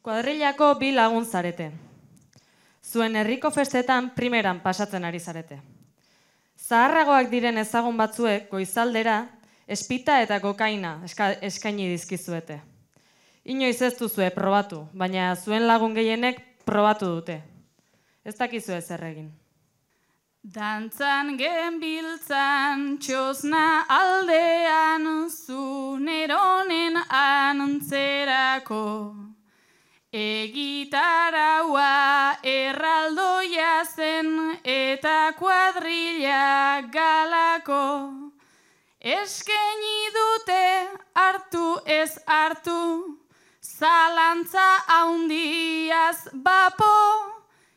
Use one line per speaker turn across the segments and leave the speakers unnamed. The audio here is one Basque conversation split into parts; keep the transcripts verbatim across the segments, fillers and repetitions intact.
Kuadrillako bi lagun zarete. Zuen herriko festetan primeran pasatzen ari zarete. Zaharragoak diren ezagun batzuek goizaldera espita eta kokaina eska, eskaini dizkizuete. Inoiz ez duzue probatu, baina zuen lagun gehienek probatu dute. Ez dakizue zer egin.
Dantzan genbiltzan txosna aldean zu neronen antzerako. Egitaraua erraldoia zen eta kuadrilla galako. Eskaini dute hartu ez hartu, zalantza haundiaz bapo.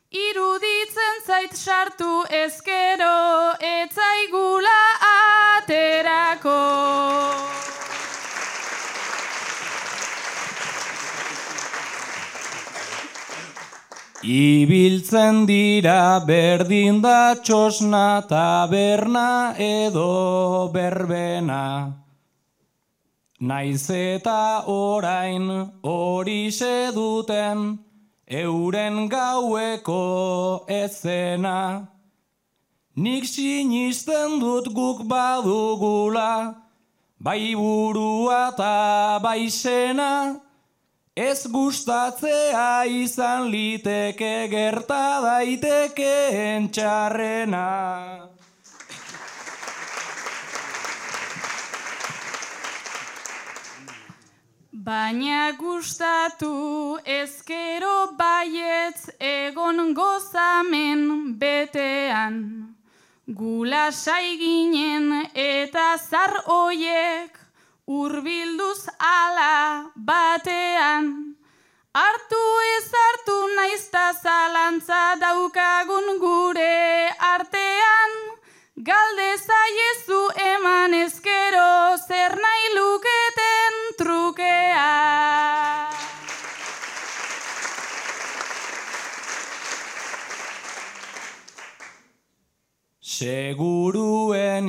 Iruditzen zait sartu ezkero etzaigula aterako.
Ibiltzen dira berdin da txosna taberna edo berbena. Naiz eta orain horixe duten euren gaueko ezena. Nik sinisten dut guk badugula, bai burua eta bai sena. Ez gustatzea izan liteke gerta daitekeen txarrena.
Baina gustatu ezkero baietz egon gozamen betean. Gula saiginen eta zar oiek urbilduz ala batean. Hartu ez hartu naizta zalantza daukagun gure artean. Galde zaiezu eman ezkero zer nahi luketen trukea.
Seguruenik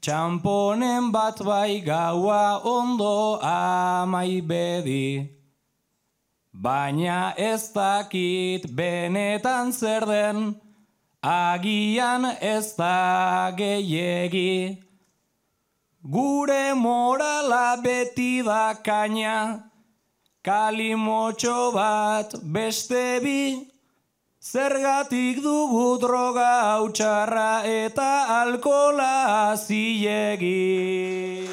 txamponen bat bai gaua ondo amai bedi. Baina ez dakit benetan zer den, agian ez da gehiegi. Gure morala beti da kaina, kalimotxo bat beste bi. Zergatik dugu droga hautxarra eta alkola zilegi.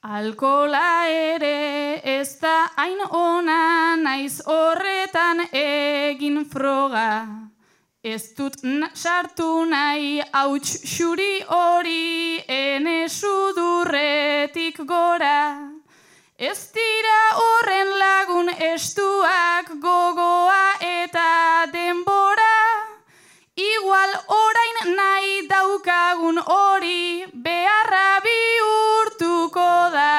Alkola ere ez da hain ona naiz horretan egin froga. Ez dut sartu nahi hauts xuri hori ene sudurretik gora. Ez dira horren lagun estuak gogoa eta denbora. Igual orain nahi daukagun hori beharra bihurtuko da.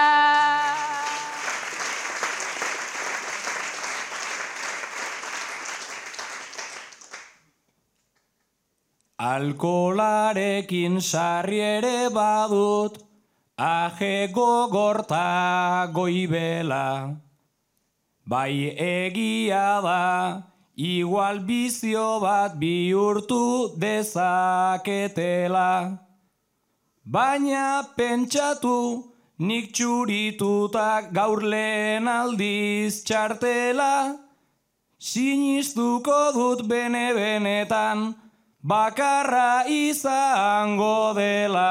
Alkolarekin sarri ere badut, aje gogorta goibela. Bai egia da, igual bizio bat bihurtu dezaketela. Baina pentsatu, nik txurituta gaur lehen aldiz txartela. Sinistuko dut bene-benetan, bakarra izango dela.